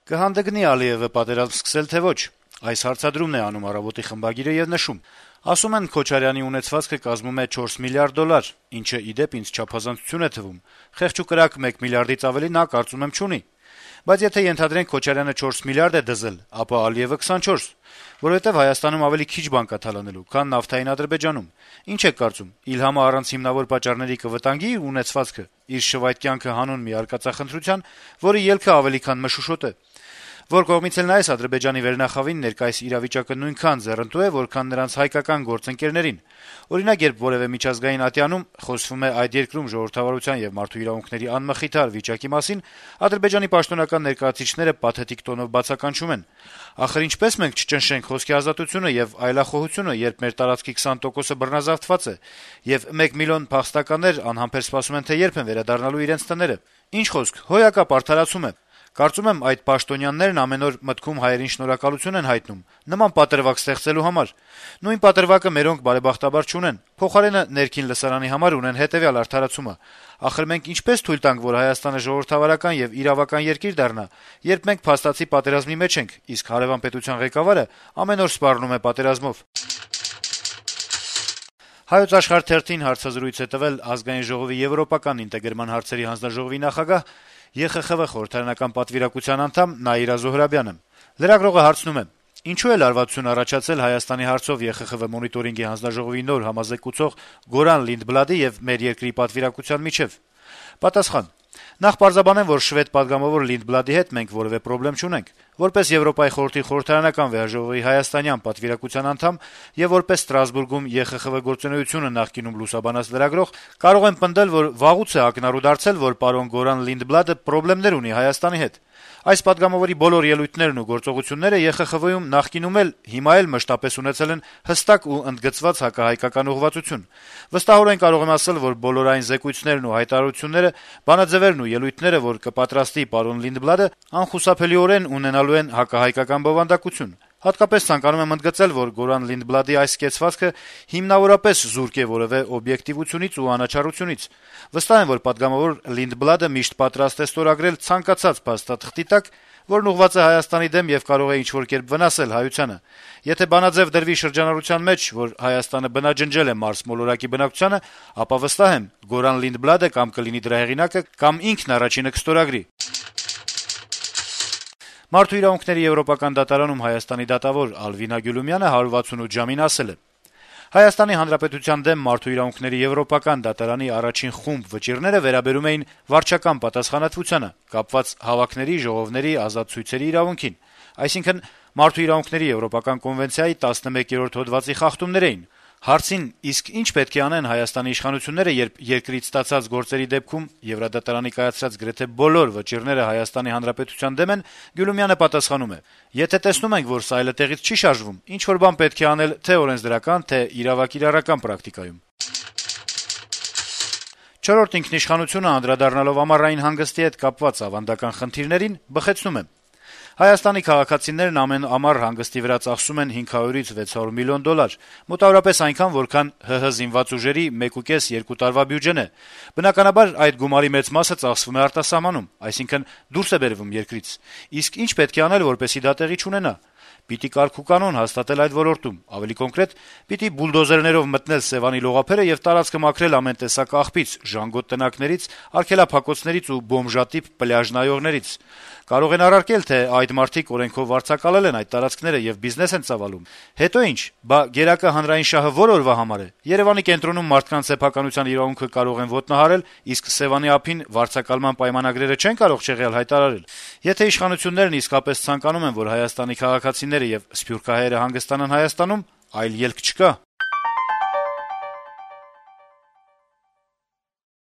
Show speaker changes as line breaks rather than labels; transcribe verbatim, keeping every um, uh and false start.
Կհանդգնի Ալիևը պատերազմ սկսել, թե ոչ: Այս հարցադրումն է անում «Առավոտ»-ի խմբագիրը եւ նշում. - «Ասում են, Քոչարյանի ունեցվածքը կազմում է չորս միլիարդ դոլար, ինչը, ի դեպ, ինձ չափազանցություն է թվում: Խեղճ ու կրակ մեկ միլիարդից ավելի նա, կարծում եմ, չունի: Բայց եթե ենթադրենք Քոչարյանը չորս միլիարդ է դզել, ապա Ալիևը քսանչորս: Որովհետեւ Հայաստանում ավելի քիչ բան կա թալանելու, քան նավթային Ադրբեջանում: Ինչ եք կարծում, Իլհամը առանց հիմնավոր պատճառների կվտանգի իր ունեցվածքը, իր շվայտ կյանքը հանուն մի արկածախնդրության, որի ելքը ավելի քան մշուշոտ է: Որ կողմից էլ նայես, Ադրբեջանի վերնախավին ներկայիս իրավիճակը նույնքան ձեռնտու է, որքան նրանց հայկական գործընկերներին: Օրինակ, երբ որեւէ միջազգային ատյանում խոսվում է այդ երկրում ժողովրդավարության եւ մարդու իրավունքների անմխիթար վիճակի մասին, Ադրբեջանի պաշտոնական ներկայացուցիչները պաթետիկ տոնով բացականչում են. «Ախր ինչպե՞ս մենք չճնշենք խոսքի ազատությունը եւ այլախոհությունը, երբ մեր տարածքի քսան տոկոսը բռնազավթված է, եւ մեկ միլիոն փախստականներ անհամբեր սպասում են, թե երբ են վերադառնալու իրենց տները: Ինչ խոսք, հոյակապ արդարացում է: Կարծում եմ, այդ պաշտոնյաներն ամեն օր մտքում հայերին շնորհակալություն են հայտնում նման պատրվակ ստեղծելու համար: Նույն պատրվակը մերոնք բարեբախտաբար չունեն, փոխարենը ներքին լսարանի համար ունեն հետեւյալ արդարացումը. ախր մենք ինչպե՞ս թույլ տանք, որ Հայաստանը ժողովրդավարական եւ իրավական երկիր դառնա, երբ մենք փաստացի պատերազմի մեջ ենք, իսկ հարեւան պետության ղեկավարը ամեն օր սպառնում է պատերազմով»: «Հայոց Աշխարհ» թերթին հարցազրույց է տվել Ազգային ժողովի եվրոպական ինտեգրման հարցերի հանձնաժողովի նախագահ, Է Խ Խ Վ խորհրդարանական պատվիրակության անդամ Նաիրա Զոհրաբյանը: Լրագրողը հարցնում է. - «Ինչու է լարվածություն առաջացել Հայաստանի հարցով Է Խ Խ Վ մոնիտորինգի հանձնաժողովի նոր համազեկուցող Գորան Լինդբլադի եւ մեր երկրի պատվիրակության միջեւ»: Պատասխան. - «Նախ պարզաբանեմ, որ շվեդ պատգամավոր Լինդբլադի հետ մենք որեւէ պրոբլեմ չունենք: Որպես Եվրոպայի խորհրդի խորհրդարանական վեհաժողովի հայաստանյան պատվիրակության անդամ եւ որպես Ստրասբուրգում Է Խ Խ Վ գործունեությունը նախկինում լուսաբանած լրագրող կարող եմ պնդել, որ վաղուց է ակնառու դարձել, որ պարոն Գորան Լինդբլադը պրոբլեմներ ունի Հայաստանի հետ: Այս պատգամավորի բոլոր ելույթներն ու գործողությունները Է Խ Խ Վ-ում նախկինում էլ, հիմա էլ մշտապես ունեցել են հստակ ու ընդգծված հակահայկական ուղղվածություն: Վստահորեն կարող եմ ասել, որ բոլոր այն զեկույցներն ու հայտարարությունները, բանաձեւերն ու ելույթները, որ կպատրաստի պարոն Լինդբլադը, անխուսափելիորեն ունենալու են հակահայկական բովանդակություն: Հատկապես ցանկանում եմ ընդգծել, որ Գորան Լինդբլադի այս կեցվածքը հիմնավորապես զուրկ է որեւէ օբյեկտիվությունից ու անաչառությունից: Վստահ եմ, որ պատգամավոր Լինդբլադը միշտ պատրաստ է ստորագրել ցանկացած փաստաթղթի տակ, որն ուղղված է Հայաստանի դեմ եւ կարող է ինչ-որ կերպ վնասել հայությանը: Եթե բանաձեւ դրվի շրջանառության մեջ, որ Հայաստանը բնաջնջել է Մարս մոլորակի բնակչությանը, ապա վստահ եմ, Գորան Լինդբլադը կամ կլինի դրա հեղինակը, կամ ինքն առաջինը կստորագրի»: Մարդու իրավունքների եվրոպական դատարանում Հայաստանի դատավոր Ալվինա Գյուլումյանը հարյուր վաթսունութ ժամին ասել է. - «Հայաստանի Հանրապետության դեմ Մարդու իրավունքների եվրոպական դատարանի առաջին խումբ վճիռները վերաբերում էին վարչական պատասխանատվությանը, կապված հավաքների, ժողովների, ազատ ցույցերի իրավունքին: Այսինքն` Մարդու իրավունքների եվրոպական կոնվենցիայի տասնմեկերորդ հոդվածի խախտումներ էին: Հարցին` իսկ ի՞նչ պետք է անեն Հայաստանի իշխանությունները, երբ երկրից ստացած գործերի դեպքում Եվրադատարանի կայացրած գրեթե բոլոր վճիռները Հայաստանի Հանրապետության դեմ են, Գյուլումյանը պատասխանում է. - «Եթե տեսնում ենք, որ սա այլտեղից չի շարժվում, ինչ-որ բան պետք է անել թե' օրենսդրական, թե' իրավակիրառական պրակտիկայում»: «Չորրորդ ինքնիշխանություն»-ը, անդրադառնալով ամառային հանգստի հետ կապված ավանդական խնդիրներին, բխեցնում է. - «Հայաստանի քաղաքացիներն ամեն ամառ հանգստի վրա ծախսում են հինգ հարյուրից վեց հարյուր միլիոն դոլար, մոտավորապես այնքան, որքան ՀՀ զինված ուժերի մեկուկես - երկու տարվա բյուջեն է: Բնականաբար, այդ գումարի մեծ մասը ծախսվում է արտասահմանում, այսինքն` դուրս է բերվում երկրից: Իսկ ի՞նչ պետք է անել, որպեսզի դա տեղի չունենա: Պիտի կարգուկանոն հաստատել այդ ոլորտում, ավելի կոնկրետ` պիտի բուլդոզերներով մտնել Սեւանի լողափերը եւ տարածքը մաքրել ամեն տեսակ աղբից, ժանգոտ տնակներից, արգելափակոցներից ու բոմժատիպ պլյաժ նայողներից: Կարող են առարկել, թե այդ մարդիկ օրենքով վարձակալել են այդ տարածքները եւ բիզնես են ծավալում: Հետո ի՞նչ: Բա գերակա հանրային շահը ո՞ր օրվա համար է: Երեւանի կենտրոնում մարդկանց սեփականության իրավունքը կարող են ոտնահարել, իսկ Սեւանի ափին վարձակալման պայմանագրերը չեն կարող չեղյալ հայտարարել: Եթե իշխանություններն իսկապես ցանկանում են, որ Հայաստանի քաղաքացիները եւ սփյուռքահայերը հանգստանան Հայաստանում, այլ ելք չկա»: